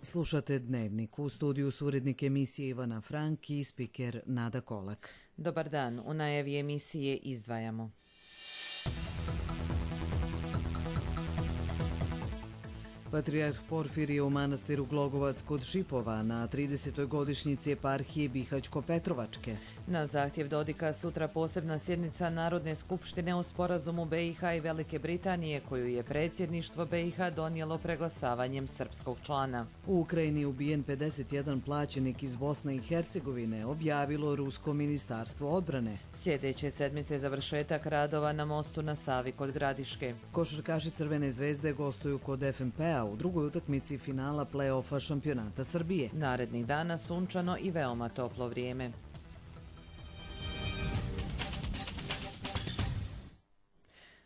Slušate Dnevnik. U studiju su urednik emisije Ivana Frank i spiker Nada Kolak. Dobar dan. U najavi emisije izdvajamo. Patrijarh Porfirije u manastiru Glogovac kod Šipova na 30. godišnjici eparhije Bihać-Petrovačke. Na zahtjev Dodika sutra posebna sjednica Narodne skupštine o sporazumu BiH i Velike Britanije koju je predsjedništvo BiH donijelo preglasavanjem srpskog člana. U Ukrajini ubijen 51 plaćenik iz Bosne i Hercegovine, objavilo Rusko ministarstvo odbrane. Sljedeće sedmice završetak radova na mostu na Savi kod Gradiške. Košarkaši Crvene zvezde gostuju kod FNP-a u drugoj utakmici finala play-offa šampionata Srbije. Narednih dana sunčano i veoma toplo vrijeme.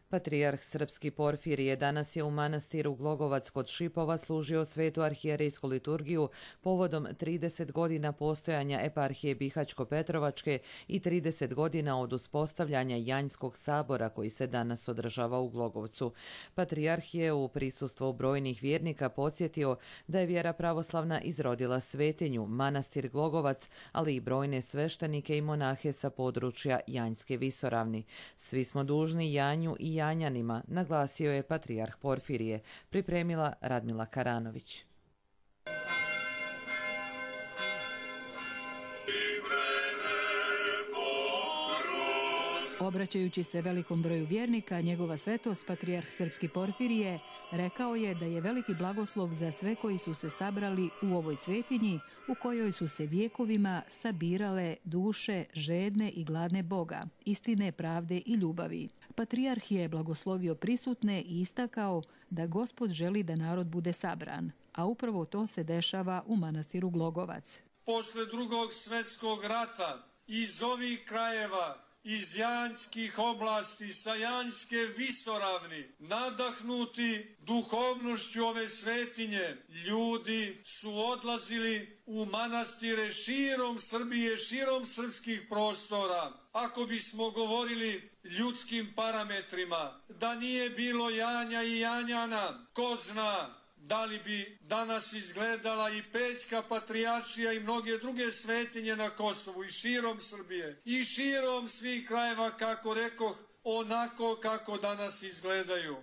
Patrijarh srpski Porfirije danas je u manastiru Glogovac kod Šipova služio svetu arhijerejsku liturgiju povodom 30 godina postojanja eparhije Bihać-Petrovačke i 30 godina od uspostavljanja Janjskog sabora koji se danas održava u Glogovcu. Patrijarh je u prisustvu brojnih vjernika podsjetio da je vjera pravoslavna izrodila svetinju, manastir Glogovac, ali i brojne sveštenike i monahe sa područja Janjske visoravni. Svi smo dužni Janju i Janjanima, naglasio je patrijarh Porfirije, pripremila Radmila Karanović. Obraćajući se velikom broju vjernika, njegova svetost patrijarh srpski Porfirije rekao je da je veliki blagoslov za sve koji su se sabrali u ovoj svetinji u kojoj su se vjekovima sabirale duše žedne i gladne Boga, istine, pravde i ljubavi. Patrijarh je blagoslovio prisutne i istakao da Gospod želi da narod bude sabran, a upravo to se dešava u manastiru Glogovac. Posle Drugog svjetskog rata iz ovih krajeva, iz Janjskih oblasti, sa Janjske visoravni, nadahnuti duhovnošću ove svetinje, ljudi su odlazili u manastire širom Srbije, širom srpskih prostora. Ako bismo govorili ljudskim parametrima, da nije bilo Janja i Janjana, ko zna da li bi danas izgledala i Pećka patrijaršija i mnoge druge svetinje na Kosovu i širom Srbije i širom svih krajeva, kako rekoh, onako kako danas izgledaju.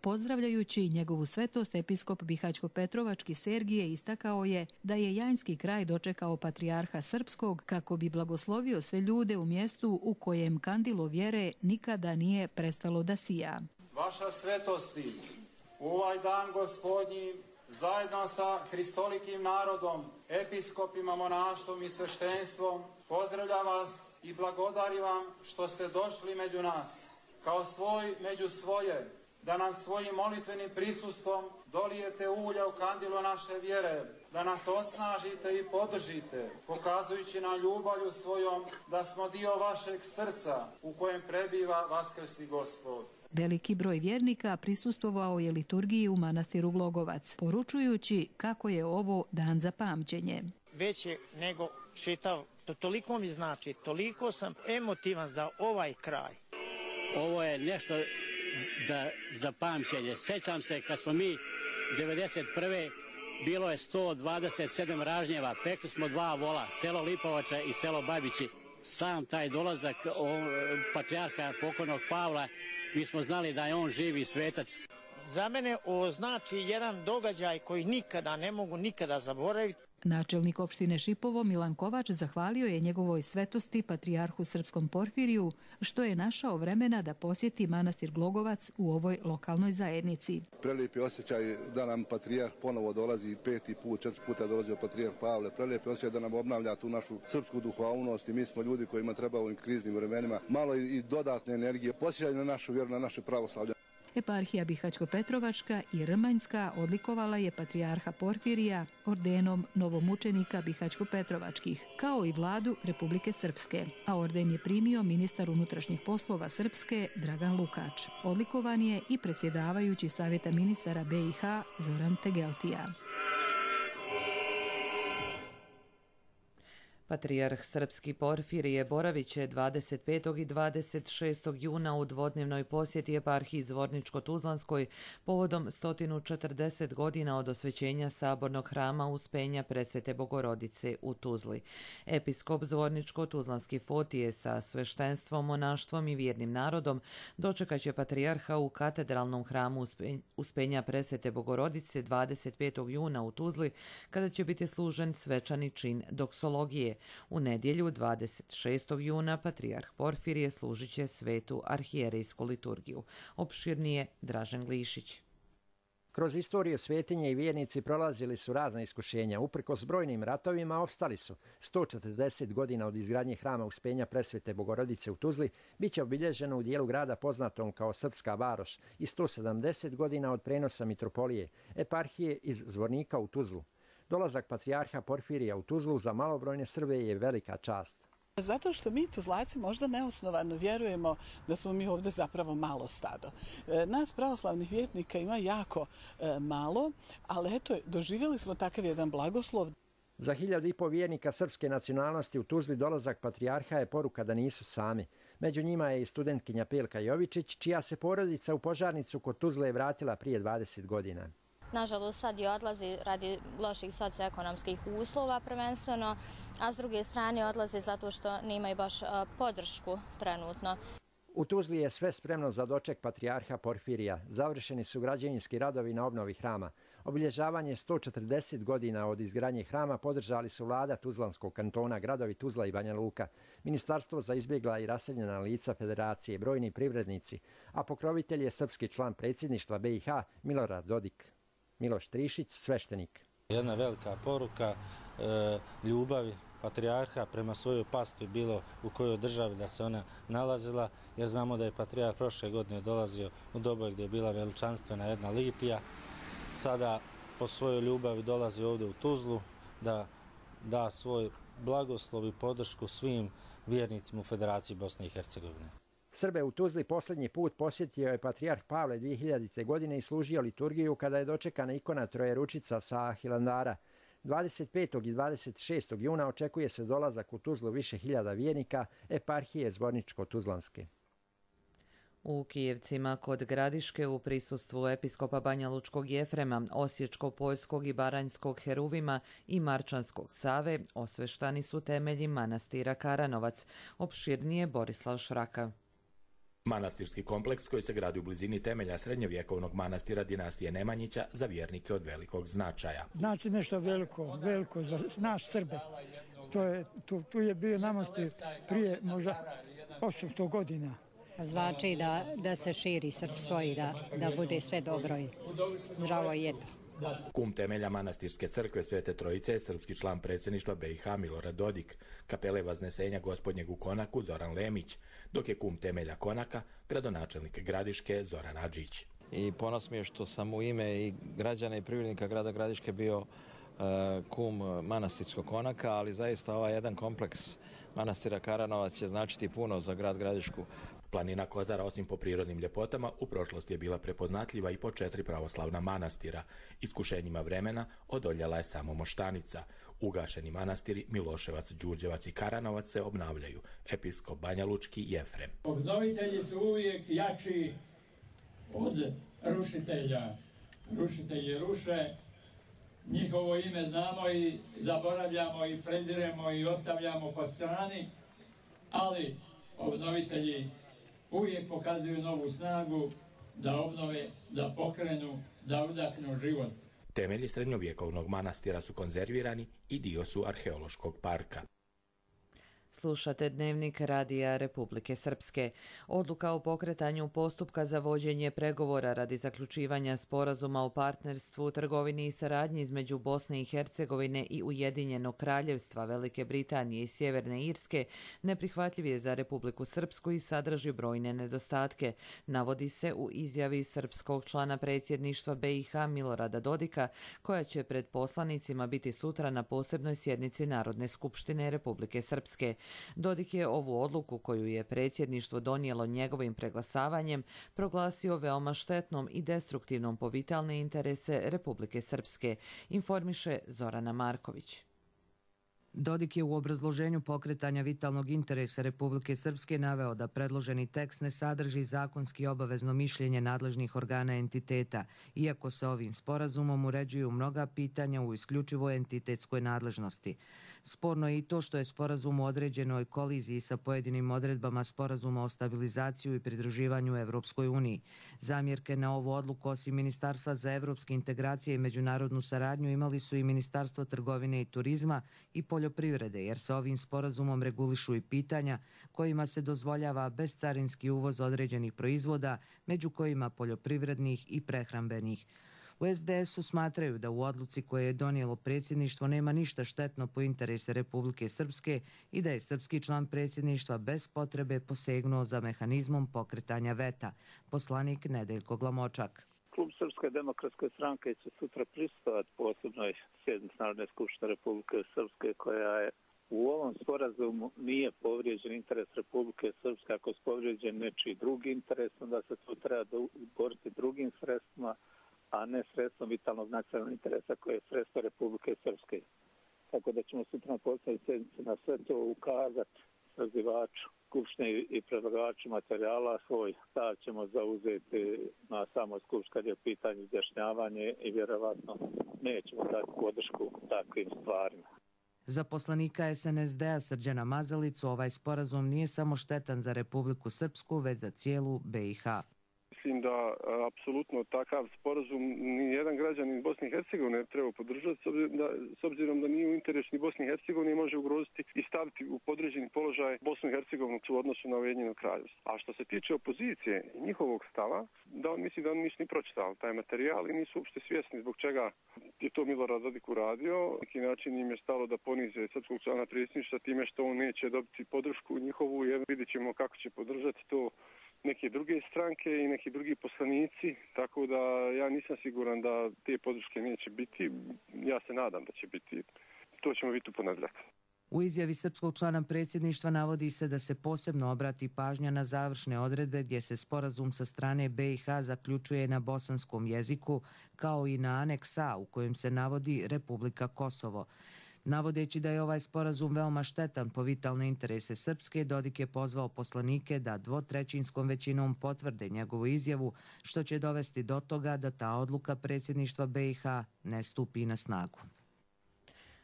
Pozdravljajući njegovu svetost, episkop Bihać-Petrovački Sergije istakao je da je Janjski kraj dočekao patrijarha srpskog kako bi blagoslovio sve ljude u mjestu u kojem kandilo vjere nikada nije prestalo da sija. Vaša svetosti, u ovaj dan Gospodnji, zajedno sa hristolikim narodom, episkopima, monaštvom i sveštenstvom, pozdravljam vas i blagodarim vam što ste došli među nas, kao svoj među svoje, da nam svojim molitvenim prisustvom dolijete ulja u kandilo naše vjere, da nas osnažite i podržite, pokazujući nam ljubavlju svojom da smo dio vašeg srca u kojem prebiva vaskrsli Gospod. Veliki broj vjernika prisustvovao je liturgiji u manastiru Glogovac, poručujući kako je ovo dan za pamćenje. Veće nego čitav, to toliko mi znači, toliko sam emotivan za ovaj kraj. Ovo je nešto za pamćenje. Sjećam se kad smo mi 91. bilo je 127 ražnjeva, pekli smo 2 vola, selo Lipovača i selo Babići. Sam taj dolazak patrijarha pokojnog Pavla, mi smo znali da je on živi svetac. Za mene ovo znači jedan događaj koji nikada ne mogu nikada zaboraviti. Načelnik opštine Šipovo Milan Kovač zahvalio je njegovoj svetosti patrijarhu srpskom Porfiriju što je našao vremena da posjeti manastir Glogovac u ovoj lokalnoj zajednici. Prelijepi osjećaj da nam patrijarh ponovo dolazi 5. put, 4 puta je dolazio patrijarh Pavle. Prelijepi osjećaj da nam obnavlja tu našu srpsku duhovnost i mi smo ljudi kojima treba u ovim kriznim vremenima malo i dodatne energije, posjećaj na našu vjeru, na naše pravoslavlje. Eparhija Bihać-Petrovačka i Rmanjska odlikovala je patrijarha Porfirija ordenom novomučenika Bihać-Petrovačkih, kao i vladu Republike Srpske, a orden je primio ministar unutrašnjih poslova Srpske Dragan Lukač. Odlikovan je i predsjedavajući Savjeta ministara BiH Zoran Tegeltija. Patrijarh srpski Porfirije boravit će 25. i 26. juna u dvodnevnoj posjeti eparhiji Zvorničko-Tuzlanskoj povodom 140 godina od osvećenja sabornog hrama Uspenja Presvete Bogorodice u Tuzli. Episkop Zvorničko-Tuzlanski Fotije sa sveštenstvom, monaštvom i vjernim narodom dočekat će patrijarha u katedralnom hramu Uspenja Presvete Bogorodice 25. juna u Tuzli, kada će biti služen svečani čin doksologije. U nedjelju 26. juna patrijarh Porfirije služit će svetu arhijerejsku liturgiju. Opširnije Dražen Glišić. Kroz istoriju svetinje i vjernici prolazili su razna iskušenja. Uprkos brojnim ratovima opstali su. 140 godina od izgradnje hrama Uspenja Presvete Bogorodice u Tuzli bit će obilježeno u dijelu grada poznatom kao Srpska varoš i 170 godina od prenosa mitropolije, eparhije iz Zvornika u Tuzlu. Dolazak patrijarha Porfirija u Tuzlu za malobrojne Srbe je velika čast. Zato što mi Tuzlaci možda neosnovano vjerujemo da smo mi ovdje zapravo malo stado. Nas pravoslavnih vjernika ima jako malo, ali eto, doživjeli smo takav jedan blagoslov. Za 1500 vjernika srpske nacionalnosti u Tuzli dolazak patrijarha je poruka da nisu sami. Među njima je i studentkinja Pelka Jovičić, čija se porodica u Požarnicu kod Tuzle vratila prije 20 godina. Nažalost, sad i odlazi radi loših socioekonomskih uslova prvenstveno, a s druge strane odlazi zato što nemaju baš podršku trenutno. U Tuzli je sve spremno za doček patrijarha Porfirija. Završeni su građevinski radovi na obnovi hrama. Obilježavanje 140 godina od izgradnje hrama podržali su vlada Tuzlanskog kantona, gradovi Tuzla i Banja Luka, Ministarstvo za izbjegla i raseljena lica Federacije, brojni privrednici, a pokrovitelj je srpski član predsjedništva BiH Milorad Dodik. Miloš Trišić, sveštenik. Jedna velika poruka ljubavi patrijarha prema svojoj pastvi, bilo u kojoj državi da se ona nalazila, jer znamo da je patrijarh prošle godine dolazio u dobu gdje je bila veličanstvena jedna litija. Sada po svojoj ljubavi dolazi ovdje u Tuzlu da da svoj blagoslov i podršku svim vjernicima u Federaciji Bosne i Hercegovine. Srbe u Tuzli posljednji put posjetio je patrijarh Pavle 2000. godine i služio liturgiju kada je dočekana ikona Trojeručica sa Hilandara. 25. i 26. juna očekuje se dolazak u Tuzlu više hiljada vjernika eparhije Zvorničko-Tuzlanske. U Kijevcima kod Gradiške u prisustvu episkopa Banja Lučkog Jefrema, Osječko-Poljskog i Baranjskog Heruvima i Marčanskog Save osveštani su temelji manastira Karanovac. Opširnije Borislav Šraka. Manastirski kompleks koji se gradi u blizini temelja srednjovjekovnog manastira dinastije Nemanjića za vjernike od velikog značaja. Znači nešto veliko za naš Srbe. Tu je bio manastir prije možda 800 godina. Znači da se širi srpstvo i da bude sve dobro i zdravo i eto. Kum temelja manastirske crkve Svete Trojice je srpski član predsjedništva BiH Milorad Dodik, kapele Vaznesenja Gospodnjeg u Konaku Zoran Lemić, dok je kum temelja Konaka gradonačelnik Gradiške Zoran Adžić. I ponos mi je što sam u ime i građana i privrednika grada Gradiške bio kum manastirskog Konaka, ali zaista ovaj jedan kompleks manastira Karanovac će značiti puno za grad Gradišku. Planina Kozara, osim po prirodnim ljepotama, u prošlosti je bila prepoznatljiva i po 4 pravoslavna manastira. Iskušenjima vremena odoljela je samo Moštanica. Ugašeni manastiri Miloševac, Đurđevac i Karanovac se obnavljaju. Episkop Banja Lučki Jefrem. Obnovitelji su uvijek jači od rušitelja. Rušitelji ruše, njihovo ime znamo i zaboravljamo i preziremo i ostavljamo po strani, ali obnovitelji uvijek pokazuju novu snagu da obnove, da pokrenu, da udahnu život. Temelji srednjovjekovnog manastira su konzervirani i dio su arheološkog parka. Slušate Dnevnik Radija Republike Srpske. Odluka o pokretanju postupka za vođenje pregovora radi zaključivanja sporazuma o partnerstvu, trgovini i saradnji između Bosne i Hercegovine i Ujedinjenog Kraljevstva Velike Britanije i Sjeverne Irske neprihvatljiv je za Republiku Srpsku i sadrži brojne nedostatke, navodi se u izjavi srpskog člana predsjedništva BiH Milorada Dodika, koja će pred poslanicima biti sutra na posebnoj sjednici Narodne skupštine Republike Srpske. Dodik je ovu odluku koju je predsjedništvo donijelo njegovim preglasavanjem proglasio veoma štetnom i destruktivnom po vitalne interese Republike Srpske, informiše Zorana Marković. Dodik je u obrazloženju pokretanja vitalnog interesa Republike Srpske naveo da predloženi tekst ne sadrži zakonski obavezno mišljenje nadležnih organa entiteta, iako se ovim sporazumom uređuju mnoga pitanja u isključivo entitetskoj nadležnosti. Sporno je i to što je sporazum u određenoj koliziji sa pojedinim odredbama sporazuma o stabilizaciju i pridruživanju Evropskoj uniji. Zamjerke na ovu odluku osim Ministarstva za evropske integracije i međunarodnu saradnju imali su i Ministarstvo trgovine i turizma i poljoprivrede, jer se ovim sporazumom regulišu i pitanja kojima se dozvoljava bezcarinski uvoz određenih proizvoda, među kojima poljoprivrednih i prehrambenih. U SDS-u smatraju da u odluci koje je donijelo predsjedništvo nema ništa štetno po interese Republike Srpske i da je srpski član predsjedništva bez potrebe posegnuo za mehanizmom pokretanja veta. Poslanik Nedeljko Glamočak. Klub Srpske demokratske stranke će sutra prisustvovati posebnoj sjednici Narodne skupštine Republike Srpske koja je u ovom sporazumu nije povrijeđen interes Republike Srpske. Ako je povrijeđen nečiji drugi interes, onda se to treba boriti drugim sredstvima, a ne sredstvom vitalnog nacionalnog interesa koje je sredstvo Republike Srpske. Tako da ćemo sutra na poslednjoj sjednici na sve to ukazati sazivaču skupštine i predlagaču materijala. Svoj stav ćemo zauzeti na samoj skupštini kad je pitanje izjašnjavanje i vjerovatno nećemo dati podršku takvim stvarima. Za poslanika SNSD-a Srđana Mazalicu ovaj sporazum nije samo štetan za Republiku Srpsku, već za cijelu BiH. Mislim da apsolutno takav sporazum nijedan građanin Bosne i Hercegovine treba podržati, s obzirom da nije u interesu ni Bosne i Hercegovine može ugroziti i staviti u podređeni položaj Bosnu i Hercegovinu u odnosu na Ujedinjeno Kraljevstvo. A što se tiče opozicije i njihovog stava, da on misli da oni nisu ni pročitali taj materijal i nisu uopšte svjesni zbog čega je to Milorad Dodik uradio. Na neki način im je stalo da ponize srpskog člana predsjedništva time što on neće dobiti podršku njihovu, jer vidjet ćemo kako će podržati to neke druge stranke i neki drugi poslanici, tako da ja nisam siguran da te podrške neće biti. Ja se nadam da će biti. To ćemo vidjeti u ponedjeljak. U izjavi srpskog člana predsjedništva navodi se da se posebno obrati pažnja na završne odredbe gdje se sporazum sa strane BiH zaključuje na bosanskom jeziku, kao i na aneks A u kojem se navodi Republika Kosovo. Navodeći da je ovaj sporazum veoma štetan po vitalne interese Srpske, Dodik je pozvao poslanike da 2/3 većinom potvrde njegovu izjavu, što će dovesti do toga da ta odluka predsjedništva BiH ne stupi na snagu.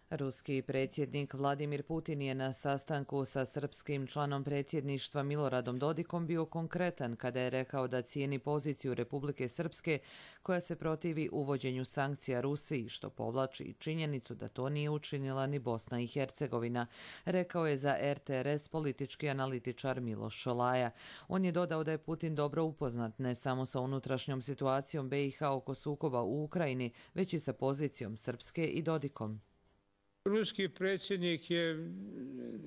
Ruski predsjednik Vladimir Putin je na sastanku sa srpskim članom predsjedništva Miloradom Dodikom bio konkretan kada je rekao da cijeni poziciju Republike Srpske koja se protivi uvođenju sankcija Rusiji, što povlači činjenicu da to nije učinila ni Bosna i Hercegovina, rekao je za RTRS politički analitičar Miloš Šolaja. On je dodao da je Putin dobro upoznat ne samo sa unutrašnjom situacijom BiH oko sukoba u Ukrajini, već i sa pozicijom Srpske i Dodikom. Ruski predsjednik je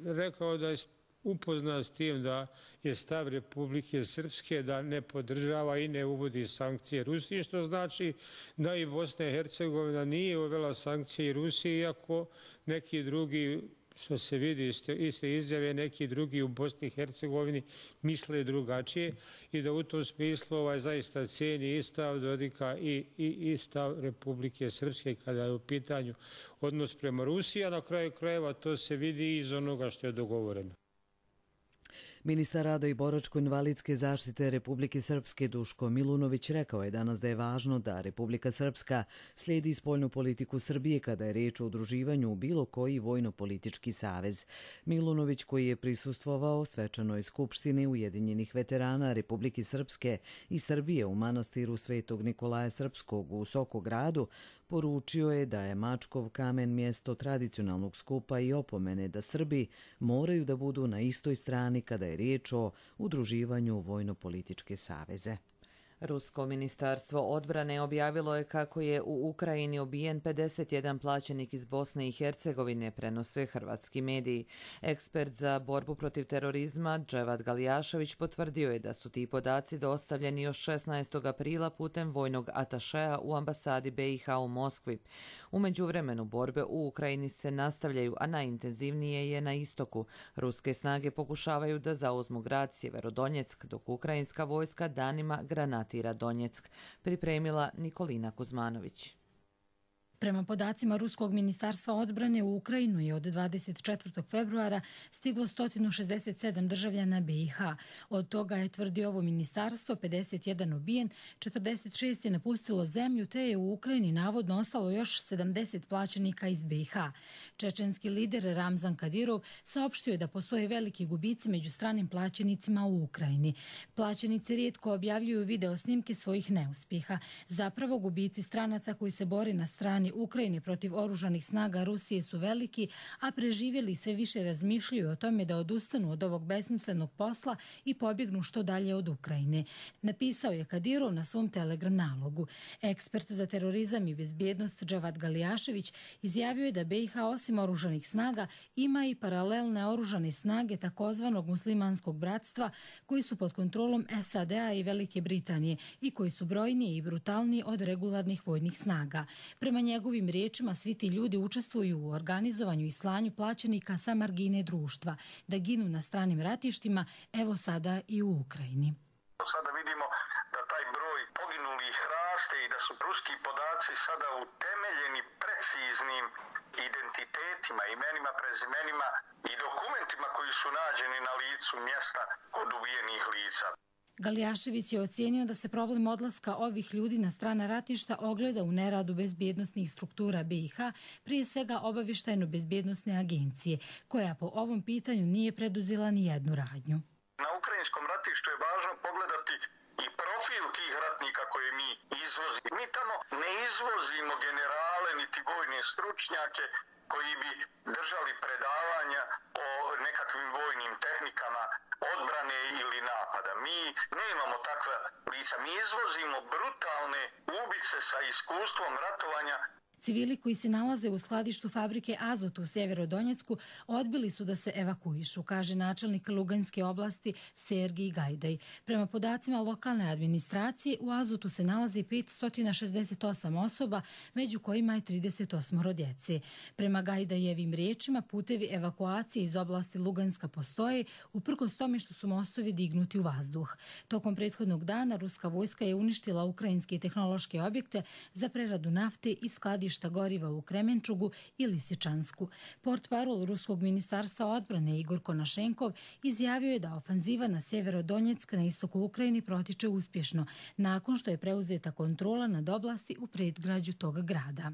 rekao da je upoznat s tim da je stav Republike Srpske da ne podržava i ne uvodi sankcije Rusiji, što znači da i Bosna i Hercegovina nije uvela sankcije Rusiji, iako neki drugi, što se vidi iz te izjave, neki drugi u Bosni i Hercegovini misle drugačije i da u tom smislu zaista cijeni i stav Dodika i stav Republike Srpske kada je u pitanju odnos prema Rusiji, a na kraju krajeva to se vidi iz onoga što je dogovoreno. Ministar rada i boračko-invalidske zaštite Republike Srpske Duško Milunović rekao je danas da je važno da Republika Srpska slijedi spoljnu politiku Srbije kada je riječ o udruživanju u bilo koji vojno-politički savez. Milunović, koji je prisustvovao svečanoj skupštini Ujedinjenih veterana Republike Srpske i Srbije u manastiru Svetog Nikolaja Srpskog u Sokogradu, poručio je da je Mačkov kamen mjesto tradicionalnog skupa i opomene da Srbi moraju da budu na istoj strani kada je riječ o udruživanju u vojno-političke saveze. Rusko ministarstvo odbrane objavilo je kako je u Ukrajini ubijen 51 plaćenik iz Bosne i Hercegovine, prenose hrvatski mediji. Ekspert za borbu protiv terorizma Dževad Galijašević potvrdio je da su ti podaci dostavljeni još 16. aprila putem vojnog atašeja u ambasadi BiH u Moskvi. U međuvremenu borbe u Ukrajini se nastavljaju, a najintenzivnije je na istoku. Ruske snage pokušavaju da zauzmu grad Sjeverodonjeck, dok ukrajinska vojska danima granatira Donjeck, pripremila Nikolina Kuzmanović. Prema podacima Ruskog ministarstva odbrane, u Ukrajinu je od 24. februara stiglo 167 državljana BiH. Od toga je, tvrdi ovo ministarstvo, 51 ubijen, 46 je napustilo zemlju, te je u Ukrajini navodno ostalo još 70 plaćenika iz BiH. Čečenski lider Ramzan Kadirov saopštio je da postoje veliki gubici među stranim plaćenicima u Ukrajini. Plaćenici rijetko objavljuju video snimke svojih neuspjeha. Zapravo, gubici stranaca koji se bore na strani Ukrajine protiv oružanih snaga Rusije su veliki, a preživjeli sve više razmišljaju o tome da odustanu od ovog besmislenog posla i pobjegnu što dalje od Ukrajine. Napisao je Kadirov na svom Telegram nalogu. Ekspert za terorizam i bezbjednost Džavad Galijašević izjavio je da BiH osim oružanih snaga ima i paralelne oružane snage takozvanog muslimanskog bratstva koji su pod kontrolom SAD-a i Velike Britanije i koji su brojniji i brutalniji od regularnih vojnih snaga. Prema njegovim riječima, svi ti ljudi učestvuju u organizovanju i slanju plaćenika sa margine društva, da ginu na stranim ratištima, evo sada i u Ukrajini. Sada vidimo da taj broj poginulih raste i da su ruski podaci sada utemeljeni preciznim identitetima, imenima, prezimenima i dokumentima koji su nađeni na licu mjesta kod ubijenih lica. Galijašević je ocijenio da se problem odlaska ovih ljudi na strana ratišta ogleda u neradu bezbjednosnih struktura BiH, prije svega obavještajno-bezbjednosne agencije, koja po ovom pitanju nije preduzela ni jednu radnju. Na ukrajinskom ratištu je važno pogledati i profil tih ratnika koje mi izvozimo. Mi tamo ne izvozimo generale niti vojne stručnjake koji bi držali predavanja o nekakvim vojnim tehnikama odbrane ili napada. Mi nemamo takva lica. Mi izvozimo brutalne ubice sa iskustvom ratovanja. Civili koji se nalaze u skladištu fabrike Azot u Sjeverodonjecku odbili su da se evakuišu, kaže načelnik Luganske oblasti Sergij Gajdaj. Prema podacima lokalne administracije, u Azotu se nalazi 568 osoba, među kojima je 38 djece. Prema Gajdajevim riječima, putevi evakuacije iz oblasti Luganska postoje, uprkos tome što su mostovi dignuti u vazduh. Tokom prethodnog dana ruska vojska je uništila ukrajinske tehnološke objekte za preradu nafte i skladišta goriva u Kremenčugu i Lisičansku. Portparol Ruskog ministarstva odbrane Igor Konašenkov izjavio je da ofanziva na Sjeverodonjeck na istoku Ukrajine protiče uspješno, nakon što je preuzeta kontrola nad oblasti u predgrađu tog grada.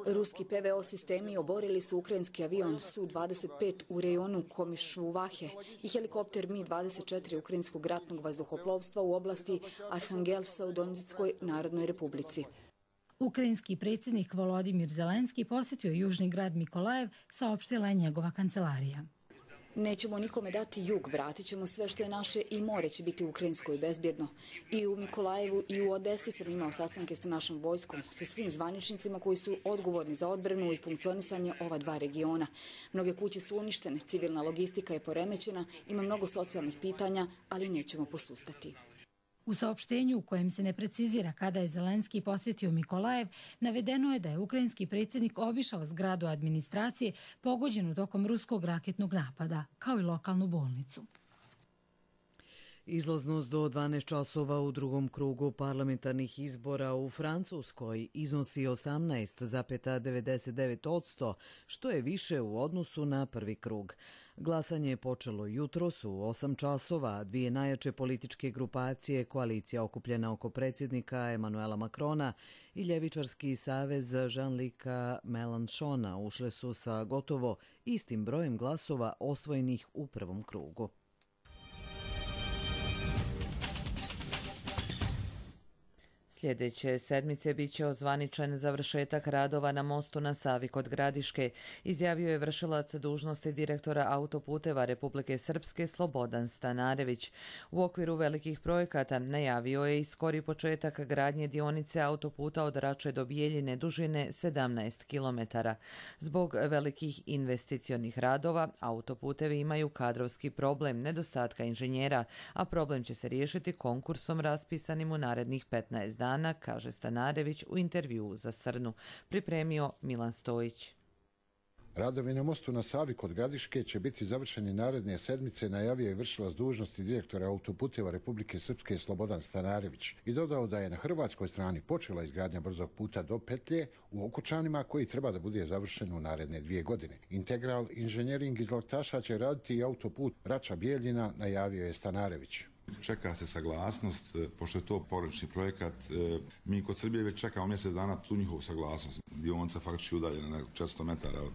Ruski PVO sistemi oborili su ukrajinski avion Su-25 u rejonu Komišuvahe i helikopter Mi-24 ukrajinskog ratnog vazduhoplovstva u oblasti Arhangelsa u Donjeckoj Narodnoj Republici. Ukrajinski predsjednik Volodimir Zelenski posjetio južni grad Mikolajev, saopštila je njegova kancelarija. Nećemo nikome dati jug, vratit ćemo sve što je naše i more će biti ukrajinsko i bezbjedno. I u Mikolajevu i u Odesi sam imao sastanke sa našom vojskom, sa svim zvaničnicima koji su odgovorni za odbranu i funkcionisanje ova dva regiona. Mnoge kuće su uništene, civilna logistika je poremećena, ima mnogo socijalnih pitanja, ali nećemo posustati. U saopštenju u kojem se ne precizira kada je Zelenski posjetio Mikolajev, navedeno je da je ukrajinski predsjednik obišao zgradu administracije pogođenu tokom ruskog raketnog napada, kao i lokalnu bolnicu. Izlaznost do 12 časova u drugom krugu parlamentarnih izbora u Francuskoj iznosi 18,99%, što je više u odnosu na prvi krug. Glasanje je počelo jutros u 8 časova. Dvije najjače političke grupacije, koalicija okupljena oko predsjednika Emanuela Macrona i ljevičarski savez Jean-Luca Mélenchona ušle su sa gotovo istim brojem glasova osvojenih u prvom krugu. Sljedeće sedmice bit će ozvaničen završetak radova na mostu na Savi kod Gradiške, izjavio je vršilac dužnosti direktora autoputeva Republike Srpske Slobodan Stanarević. U okviru velikih projekata najavio je i skori početak gradnje dionice autoputa od Rače do Bijeljine dužine 17 km. Zbog velikih investicionih radova, autoputevi imaju kadrovski problem nedostatka inženjera, a problem će se riješiti konkursom raspisanim u narednih 15 dana, kaže Stanarević u intervjuu za Srnu. Pripremio Milan Stojić. Radovi na mostu na Savi kod Gradiške će biti završeni naredne sedmice, najavio je vršilac dužnosti direktora Autoputeva Republike Srpske Slobodan Stanarević i dodao da je na hrvatskoj strani počela izgradnja brzog puta do Petlje u Okučanima koji treba da bude završen u naredne 2 godine. Integral inženjering iz Laktaša će raditi i autoput Rača-Bijeljina, najavio je Stanarević. Čeka se saglasnost, pošto je to pogranični projekat, mi kod Srbije već čekamo mjesec dana tu njihovu saglasnost. Dionica faktički udaljena na 400 metara od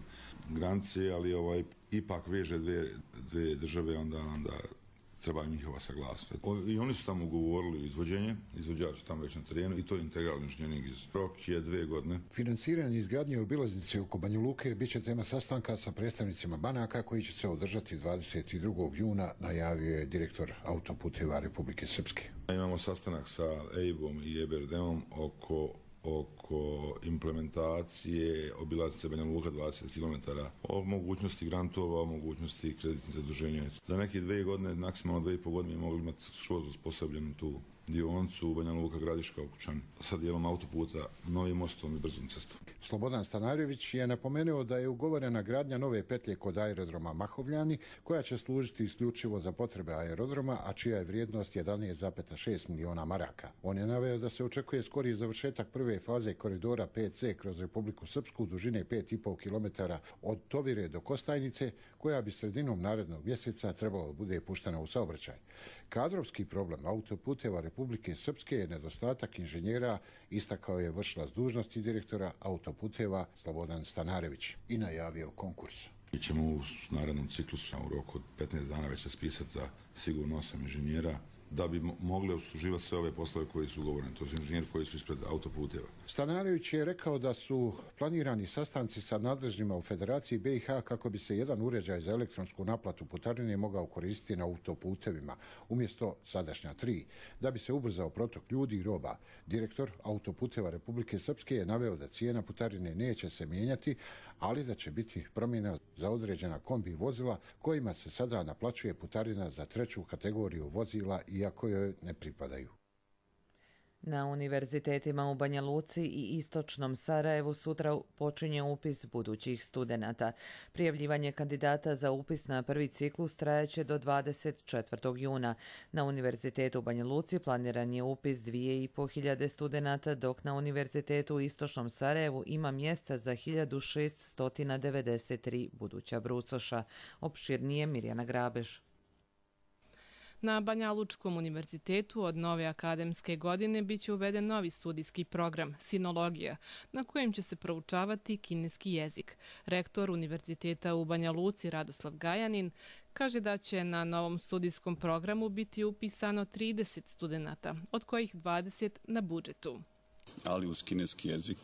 granice, ali ipak veže dvije države, onda treba njihova saglasnost. I oni su tamo ugovorili izvođenje, izvođač tamo već na terenu i to je integralni inženjering iz rok je 2 godine. Finansiranje izgradnje obilaznice oko Banja Luke bit će tema sastanka sa predstavnicima banaka koji će se održati 22. juna, najavio je direktor Autoputeva Republike Srpske. Imamo sastanak sa EIB-om i EBRD-om oko implementacije obilaznice Banja Luka 20 km, o mogućnosti grantova, o mogućnosti kreditnih zaduženja. Za neke 2 godine, maksimalno 2,5 godine mogli imati skroz usposobljenu tu dionicu Banja Luka Gradiška Okučani sa dijelom autoputa, novim mostom i brzom cestom. Slobodan Stanarević je napomenuo da je ugovorena gradnja nove petlje kod aerodroma Mahovljani, koja će služiti isključivo za potrebe aerodroma, a čija je vrijednost 11,6 miliona maraka. On je naveo da se očekuje skori završetak prve faze koridora 5C kroz Republiku Srpsku dužine 5,5 km od Tovire do Kostajnice, koja bi sredinom narednog mjeseca trebalo bude puštena u saobraćaj. Kadrovski problem Autoputeva Republike Srpske je nedostatak inženjera, istakao je vršilac dužnosti direktora Autoputeva Slobodan Stanarević i najavio konkurs. Mi ćemo u narednom ciklusu u roku od 15 dana već se spisati za sigurno 8 inženjera da bi mogli obsluživati sve ove poslove koji su ugovoreni. To su inženjeri koji su ispred Autoputeva. Stanarević je rekao da su planirani sastanci sa nadležnjima u Federaciji BiH kako bi se jedan uređaj za elektronsku naplatu putarine mogao koristiti na autoputevima umjesto sadašnja 3, da bi se ubrzao protok ljudi i roba. Direktor Autoputeva Republike Srpske je naveo da cijena putarine neće se mijenjati, ali da će biti promjena za određena kombi vozila kojima se sada naplaćuje putarina za 3. kategoriju vozila, iako joj ne pripadaju. Na univerzitetima u Banja Luci i istočnom Sarajevu sutra počinje upis budućih studenata. Prijavljivanje kandidata za upis na prvi ciklus trajaće do 24. juna. Na univerzitetu u Banja Luci planiran je upis 2.500 studenata, dok na univerzitetu u istočnom Sarajevu ima mjesta za 1693 buduća brucoša. Opširnije Mirjana Grabež. Na Banja Lučkom univerzitetu od nove akademske godine biće uveden novi studijski program Sinologija, na kojem će se proučavati kineski jezik. Rektor univerziteta u Banja Luci Radoslav Gajanin kaže da će na novom studijskom programu biti upisano 30 studenata, od kojih 20 na budžetu. Ali uz kineski jezik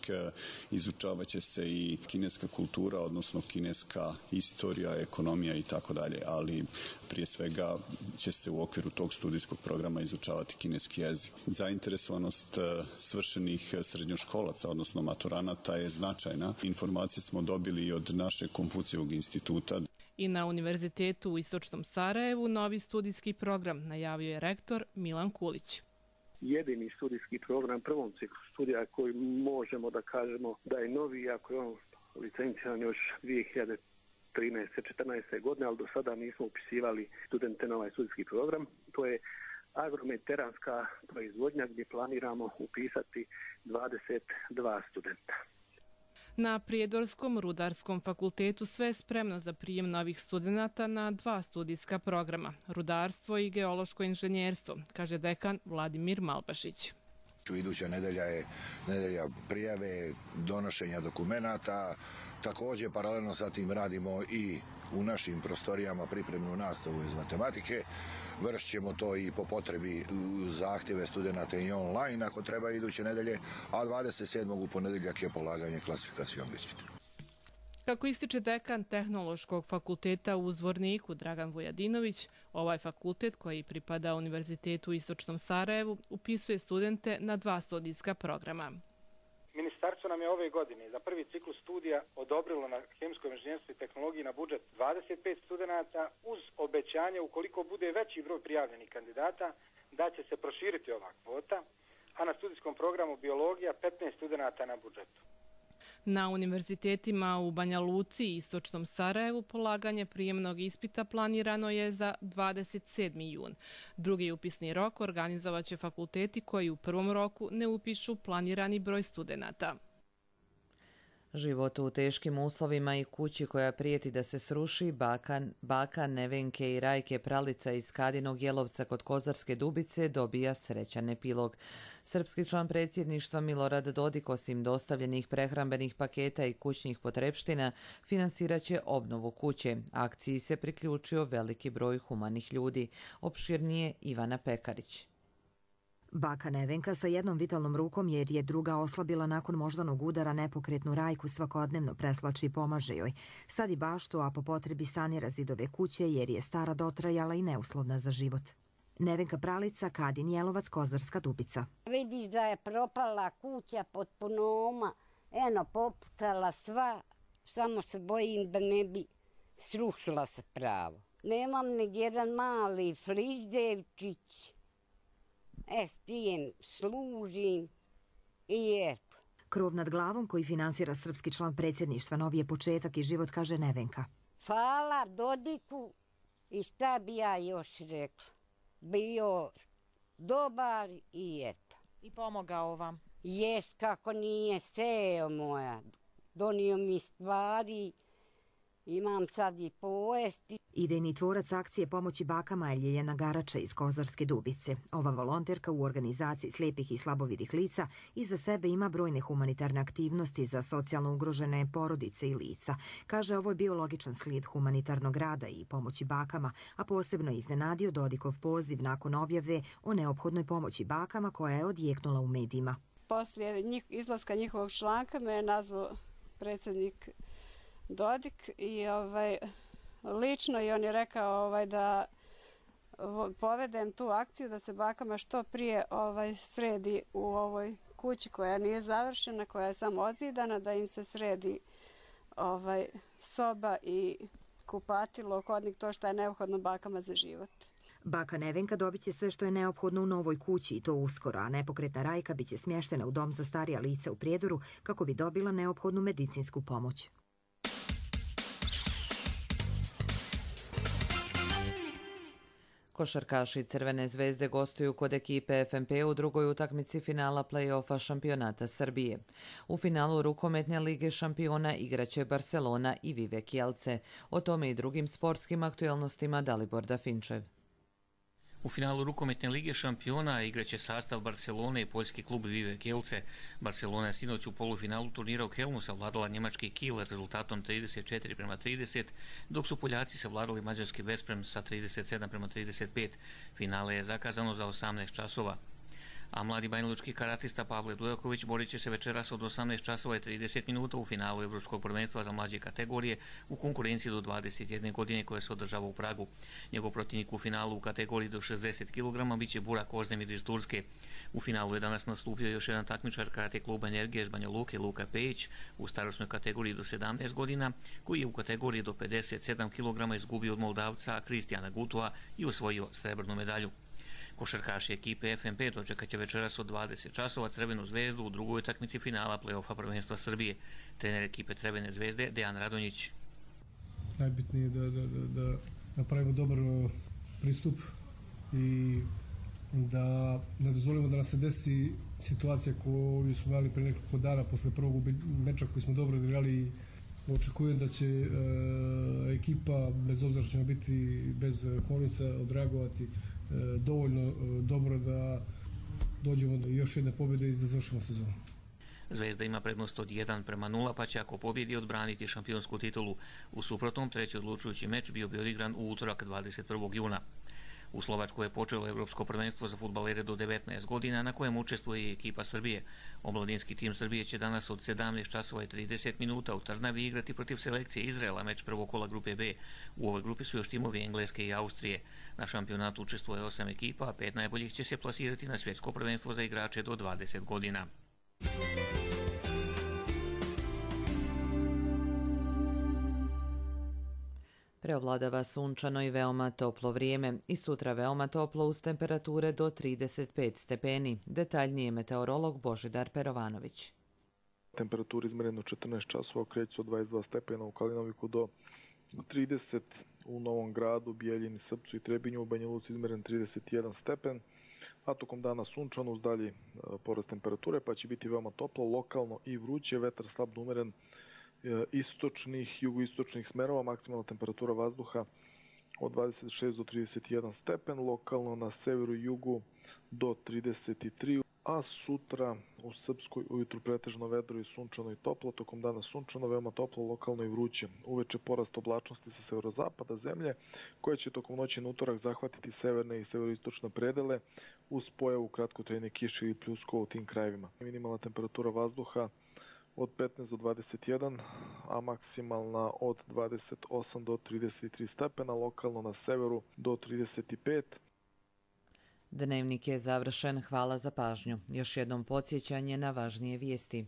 izučavat će se i kineska kultura, odnosno kineska istorija, ekonomija i tako dalje, ali prije svega će se u okviru tog studijskog programa izučavati kineski jezik. Zainteresovanost svršenih srednjoškolaca, odnosno maturanata, je značajna. Informacije smo dobili i od našeg Konfucijevog instituta. I na univerzitetu u istočnom Sarajevu novi studijski program najavio je rektor Milan Kulić. Jedini studijski program prvom ciklu studija koji možemo da kažemo da je novi, iako je on licenciran još 2013-14. godine, ali do sada nismo upisivali studente na ovaj studijski program. To je agromediteranska proizvodnja gdje planiramo upisati 22 studenta. Na Prijedorskom rudarskom fakultetu sve je spremno za prijem novih studenata na 2 studijska programa, rudarstvo i geološko inženjerstvo, kaže dekan Vladimir Malbašić. Iduća nedelja je nedelja prijave, donošenja dokumenata. Također, paralelno sa tim radimo i u našim prostorijama pripremnu nastavu iz matematike. Vršit ćemo to i po potrebi zahtjeve studenta i online ako treba iduće nedelje, a 27. u ponedjeljak je polaganje klasifikacionog ispita. Kako ističe dekan Tehnološkog fakulteta u Zvorniku Dragan Vujadinović, ovaj fakultet koji pripada Univerzitetu u istočnom Sarajevu upisuje studente na 2 studijska programa. Ministarstvo nam je ove godine za prvi ciklus studija odobrilo na hemijskom inženjerstvu i tehnologiji na budžet 25 studenata uz obećanje ukoliko bude veći broj prijavljenih kandidata da će se proširiti ova kvota, a na studijskom programu biologija 15 studenata na budžetu. Na univerzitetima u Banja Luci i Istočnom Sarajevu polaganje prijemnog ispita planirano je za 27. jun. Drugi upisni rok organizovaće fakulteti koji u prvom roku ne upišu planirani broj studenata. Život u teškim uslovima i kući koja prijeti da se sruši, baka Nevenke i Rajke Pralica iz Kadinog Jelovca kod Kozarske Dubice dobija srećan epilog. Srpski član predsjedništva Milorad Dodik, osim dostavljenih prehrambenih paketa i kućnih potrepština, finansirat će obnovu kuće. Akciji se priključio veliki broj humanih ljudi. Opširnije Ivana Pekarić. Baka Nevenka sa jednom vitalnom rukom, jer je druga oslabila nakon moždanog udara, nepokretnu Rajku svakodnevno preslači i pomaže joj. Sad i baštu, a po potrebi sanira zidove kuće jer je stara dotrajala i neuslovna za život. Nevenka Pralica, Kadin Jelovac, Kozarska Dubica. Vidiš da je propala kuća potpuno oma, poputala sva, samo se bojim da ne bi srušila se pravo. Nemam ni jedan mali frižderčić. S tijem služim i eto. Krov nad glavom koji finansira srpski član predsjedništva novi je početak i život, kaže Nevenka. Hvala Dodiku i šta bi ja još rekla. Bio dobar i eto. I pomogao vam? Jest, kako nije, seo moja. Donio mi stvari, imam sad i pojesti. Idejni tvorac akcije pomoći bakama je Ljiljana Garača iz Kozarske Dubice. Ova volonterka u organizaciji slijepih i slabovidih lica iza sebe ima brojne humanitarne aktivnosti za socijalno ugrožene porodice i lica. Kaže, ovo je bio logičan slijed humanitarnog rada i pomoći bakama, a posebno je iznenadio Dodikov poziv nakon objave o neophodnoj pomoći bakama koja je odjeknula u medijima. Poslije izlaska njihovog članka me je nazvao predsjednik Dodik i lično i on je rekao da povedem tu akciju da se bakama što prije sredi u ovoj kući koja nije završena, koja je samo odzidana, da im se sredi soba i kupatilo, hodnik, to što je neophodno bakama za život. Baka Nevenka dobit će sve što je neophodno u novoj kući i to uskoro, a nepokretna Rajka biće smještena u dom za starija lica u Prijedoru kako bi dobila neophodnu medicinsku pomoć. Košarkaši Crvene zvezde gostuju kod ekipe FNP u drugoj utakmici finala play-offa šampionata Srbije. U finalu rukometne lige šampiona igraće Barcelona i Vivek Jelce. O tome i drugim sportskim aktuelnostima Dalibor Dafinčev. U finalu rukometne lige šampiona igraće sastav Barcelone i poljski klub Vivek Jelce. Barcelona je sinoć u polufinalu turnira u Kelnu savladala njemački Kiel rezultatom 34:30, dok su Poljaci savladali mađarski Vesprem sa 37:35. Finale je zakazano za 18 časova. A mladi banjalučki karatista Pavle Dujaković borit će se večeras od 18 časova i 30 minuta u finalu Evropskog prvenstva za mlađe kategorije u konkurenciji do 21 godine koja se održava u Pragu. Njegov protivnik u finalu u kategoriji do 60 kg biće Burak Ozdemir iz Turske. U finalu je danas nastupio još jedan takmičar karate kluba Energije iz Banja Luke, Luka Pejić, u starosnoj kategoriji do 17 godina, koji je u kategoriji do 57 kg izgubio od Moldavca Kristijana Gutova i osvojio srebrnu medalju. Košarkaši ekipe FNP dočekat će večeras od 20 časova Crvenu zvezdu u drugoj utakmici finala play-offa prvenstva Srbije. Trener ekipe Crvene zvezde Dejan Radonjić. Najbitnije je da napravimo dobar pristup i da ne dozvolimo da nas se desi situacija koju smo imali pre nekoliko dana posle prvog meča koji smo dobro odigrali. Očekujem da će ekipa, bez obzira što ćemo biti bez Honisa, odreagovati dovoljno dobro da dođemo do još jedne pobjede i da završimo sezonu. Zvezda ima prednost od 1:0, pa će ako pobjedi odbraniti šampionsku titulu. U suprotnom, treći odlučujući meč bio bi odigran u utorak 21. juna. U Slovačkoj je počelo Evropsko prvenstvo za fudbalere do 19 godina na kojem učestvuje i ekipa Srbije. Omladinski tim Srbije će danas od 17 časova i 30 minuta u Trnavi igrati protiv selekcije Izraela, meč prvog kola grupe B. U ovoj grupi su još timovi Engleske i Austrije. Na šampionatu učestvuje 8 ekipa, a 5 najboljih će se plasirati na svjetsko prvenstvo za igrače do 20 godina. Preovladava sunčano i veoma toplo vrijeme i sutra veoma toplo uz temperature do 35 stepeni. Detaljnije meteorolog Božidar Perovanović. Temperatura izmerena u 14 časova kreće se od 22 stepena u Kalinoviku do 30 u Novom Gradu, Bijeljini, Srpcu i Trebinju, u Banja Luci izmeren 31 stepen, a tokom dana sunčano uz dalji porast temperature, pa će biti veoma toplo, lokalno i vruće, vetar slabno umeren istočnih, jugoistočnih smerova, maksimalna temperatura vazduha od 26 do 31 stepen, lokalno na severu i jugu do 33, a sutra u Srpskoj ujutru pretežno vedro i sunčano i toplo, tokom dana sunčano, veoma toplo, lokalno i vruće. Uveče porast oblačnosti sa severozapada zemlje, koja će tokom noći na utorak zahvatiti severne i severoistočne predele uz pojavu kratkotrajne kiše ili pljuskova u tim krajevima. Minimalna temperatura vazduha od 15 do 21, a maksimalna od 28 do 33 stepena, lokalno na severu do 35. Dnevnik je završen. Hvala za pažnju. Još jednom podsjećanje na važnije vijesti.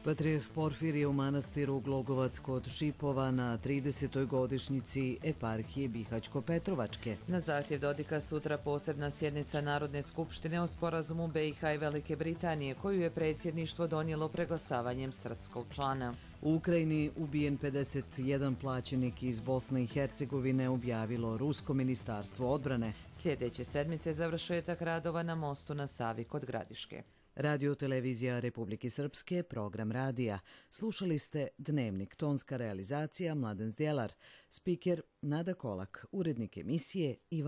Patrijarh Porfirije u manastiru Glogovac kod Šipova na 30. godišnjici eparhije Bihać-Petrovačke. Na zahtjev Dodika sutra posebna sjednica Narodne skupštine o sporazumu BiH i Velike Britanije, koju je predsjedništvo donijelo preglasavanjem srpskog člana. U Ukrajini ubijen 51 plaćenik iz Bosne i Hercegovine, objavilo Rusko ministarstvo odbrane. Sljedeće sedmice završetak radova na mostu na Savi kod Gradiške. Radio Televizija Republike Srpske, program radija. Slušali ste Dnevnik, tonska realizacija Mladen Zdjelar, spiker Nada Kolak, urednik emisije Ivan